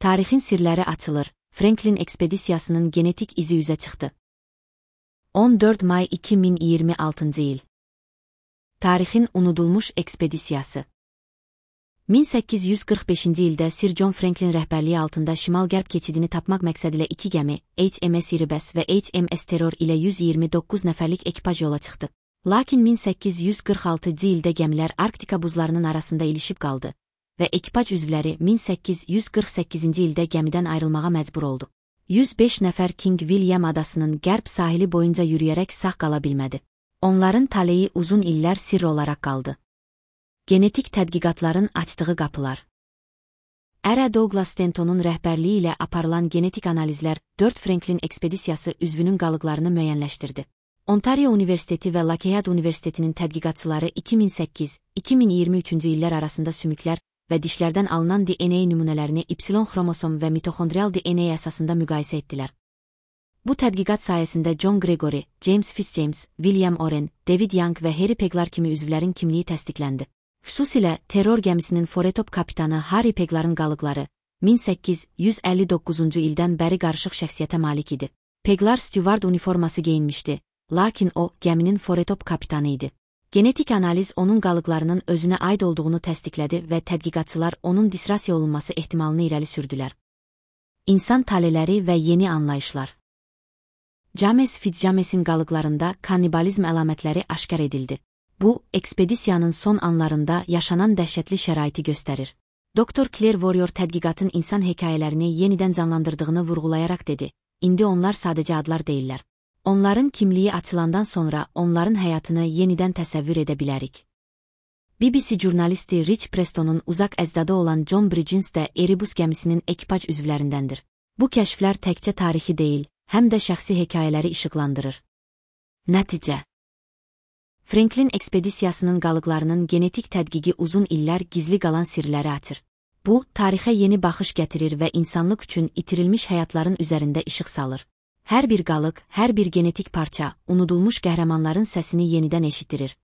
Tarixin sirləri açılır, Franklin ekspedisiyasının genetik izi üzə çıxdı. 14 may 2026-cı il. Tarixin unudulmuş ekspedisiyası. 1845-ci ildə Sir John Franklin rəhbərliyi altında şimal-qərb keçidini tapmaq məqsədilə 2 gəmi, HMS Erebus və HMS Terror ilə 129 nəfərlik ekipaj yola çıxdı. Lakin 1846-cı ildə gəmilər Arktika buzlarının arasında ilişib qaldı və ekipaj üzvləri 1848-ci ildə gəmidən ayrılmağa məcbur oldu. 105 nəfər King William adasının qərb sahili boyunca yürüyərək sağ qala bilmədi. Onların taleyi uzun illər sirr olaraq qaldı. Genetik tədqiqatların açdığı qapılar. Ara Douglas Stantonun rəhbərliyi ilə aparılan genetik analizlər 4 Franklin ekspedisiyası üzvünün qalıqlarını müəyyənləşdirdi. Ontario Universiteti və Lakehead Universitetinin tədqiqatçıları 2008-2023-cü illər arasında sümüklər və dişlərdən alınan DNA nümunələrini Y xromosom və mitoxondrial DNA əsasında müqayisə etdilər. Bu tədqiqat sayəsində John Gregory, James Fitzjames, William Oren, David Young və Harry Peglar kimi üzvlərin kimliyi təsdiqləndi. Xüsusilə terror gəmisinin Foretop kapitanı Harry Pegların qalıqları 1859-cu ildən bəri qarışıq şəxsiyyətə malik idi. Peglar stüvard uniforması geyinmişdi, lakin o, gəminin Foretop kapitanı idi. Genetik analiz onun qalıqlarının özünə aid olduğunu təsdiqlədi və tədqiqatçılar onun disrasiya olunması ehtimalını irəli sürdülər. İnsan taleləri və yeni anlayışlar. James Fitzjamesin qalıqlarında kannibalizm əlamətləri aşkar edildi. Bu, ekspedisiyanın son anlarında yaşanan dəhşətli şəraiti göstərir. Dr. Claire Warrior tədqiqatın insan hekayələrini yenidən canlandırdığını vurğulayaraq dedi, indi onlar sadəcə adlar deyillər. Onların kimliyi açılandan sonra onların həyatını yenidən təsəvvür edə bilərik. BBC jurnalisti Rich Prestonun uzaq əcdadı olan John Bridges də Erebus gəmisinin ekipaj üzvlərindəndir. Bu kəşflər təkcə tarixi deyil, həm də şəxsi hekayələri işıqlandırır. Nəticə. Franklin ekspedisiyasının qalıqlarının genetik tədqiqi uzun illər gizli qalan sirləri açır. Bu, tarixə yeni baxış gətirir və insanlıq üçün itirilmiş həyatların üzərində işıq salır. Hər bir qalıq, hər bir genetik parça, unudulmuş qəhrəmanların səsini yenidən eşitdirir.